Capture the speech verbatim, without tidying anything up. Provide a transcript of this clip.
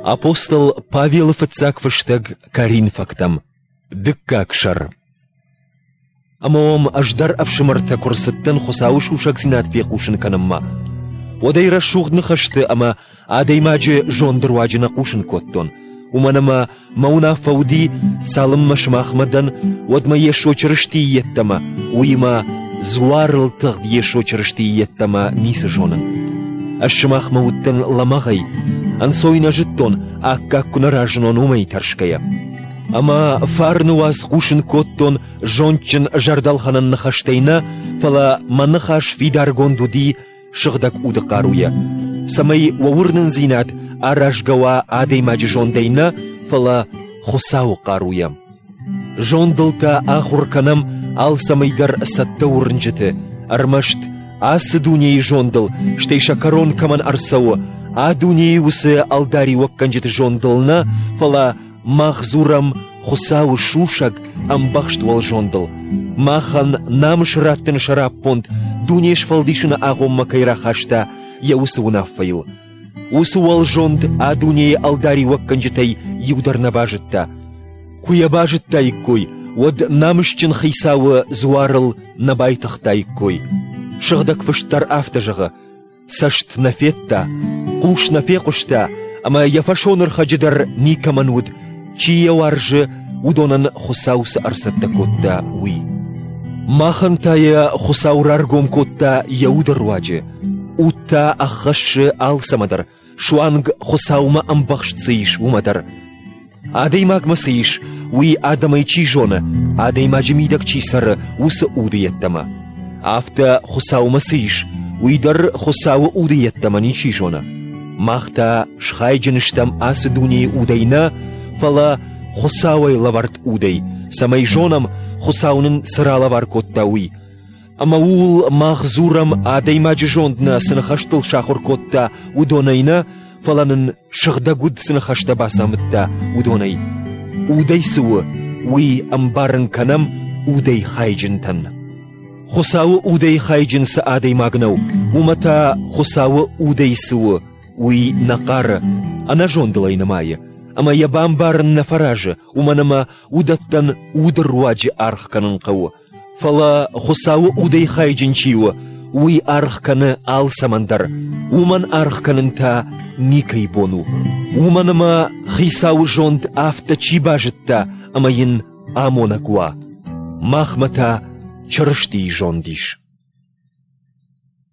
Апостол Павелы фыццаг фыстӕг Коринфӕгтӕм, дыккаг сӕр. Ӕмӕ уӕм ӕз дӕр ӕфсымӕртӕ куы рцыдтӕн Хуыцауы сусӕгдзинад фехъусын кӕнынмӕ, уӕд ӕй рӕсугъд ныхӕсты ӕмӕ адӕймаджы зонды руаджы нӕ хъусын кодтон, уымӕн ӕмӕ мӕ уынаффӕ уыди, цалынмӕ сымахмӕ дӕн, уӕдмӕ Йесо Чырыстийы йеддӕмӕ, уыимӕ дзуарыл тыгъд Йесо Чырыстийы йеддӕмӕ ницы зонын. Ӕз сымахмӕ уыдтӕн лӕмӕгъӕй, ӕнцой нӕ зыдтон, аккаг куы нӕ разынон, уымӕй тӕрсгӕйӕ. Ӕмӕ фарны уац хъусын кодтон зондджын зӕрдӕлхӕнӕн ныхӕстӕй нӕ, фӕлӕ мӕ ныхас фидаргонд уыди сыгъдӕг уды хъаруйӕ, цӕмӕй уӕ уырнындзинад аразгӕ уа адӕймаджы зондӕй нӕ, фӕлӕ Хуыцауы хъаруйӕ. Зондыл та ахуыр кӕнӕм алцӕмӕй дӕр цӕттӕ уырнджыты, ӕрмӕст ацы дунейы зондыл, стӕй сӕ кӕрон кӕмӕн ӕрцӕуы, а дунейы уыцы ӕлдариуӕггӕнджыты зондыл нӕ, фӕлӕ мах дзурӕм Хуыцауы сусӕг ӕмбӕхст уӕлзондыл. Махӕн намыс раттыны сӕраппонд дуне сфӕлдисыны агъоммӕ кӕй рахаста йӕ уыцы уынаффӕйыл. Уыцы уӕлзонд а дунейы ӕлдариуӕггӕнджытӕй иу дӕр нӕ базыдта. Куы йӕ базыдтаиккой, уӕд намысджын хицауы дзуарыл нӕ байтыгътаиккой. Сыгъдӕг фыст дӕр афтӕ зӕгъы: цӕст нӕ федта, хъус нӕ фехъуыста, ӕмӕ йӕ фӕсонӕрхӕджы дӕр никӕмӕн уыд, чи йӕ уарзы, уыдонӕн Хуыцау цы ӕрцӕттӕ кодта, уый. Махӕн та йӕ Хуыцау раргом кодта йӕ уды руаджы. Уд та ӕххӕссы алцӕмӕ дӕр, суанг Хуыцаумӕ ӕмбӕхст цы ис, уымӕ дӕр. Адӕймагмӕ цы ис, уый адӕмӕй чи зоны, адӕймаджы мидӕг чи цӕры, уыцы уды йеддӕмӕ. Афтӕ Хуыцаумӕ цы ис, уый дӕр Хуыцауы уды йеддӕмӕ ничи зоны. Мах та схайджын стӕм ацы дунейы удӕй нӕ, фӕлӕ Хуыцауӕй лӕвӕрд удӕй, цӕмӕй зонӕм, Хуыцау нын цы ралӕвар кодта, уый. Ӕмӕ ууыл мах дзурӕм адӕймаджы зонд нӕ цы ныхӕстыл сахуыр кодта, уыдонӕй нӕ, фӕлӕ нын сыгъдӕг уд цы ныхӕстӕ бацамыдта, уыдонӕй. Удӕй цы у, уый ӕмбарын кӕнӕм удӕй хайджынтӕн. Хуыцауы удӕй хайджын цы адӕймаг нӕу, уымӕ та Хуыцауы удӕй цы у, уый нӕ хъары, ӕнӕзондыл ӕй нымайы, ӕмӕ йӕ бамбарын нӕ фӕразы, уымӕн ӕмӕ уыдӕттӕн уды руаджы аргъ кӕнын хъӕуы. Фӕлӕ Хуыцауы удӕй хайджын чи у, уый аргъ кӕны алцӕмӕн дӕр, уымӕн аргъ кӕнын та никӕй бон у. Уымӕн ӕмӕ Хицауы зонд афтӕ чи базыдта ӕмӕ йын амонӕг уа. Махмӕ та Чырыстийы зонд ис.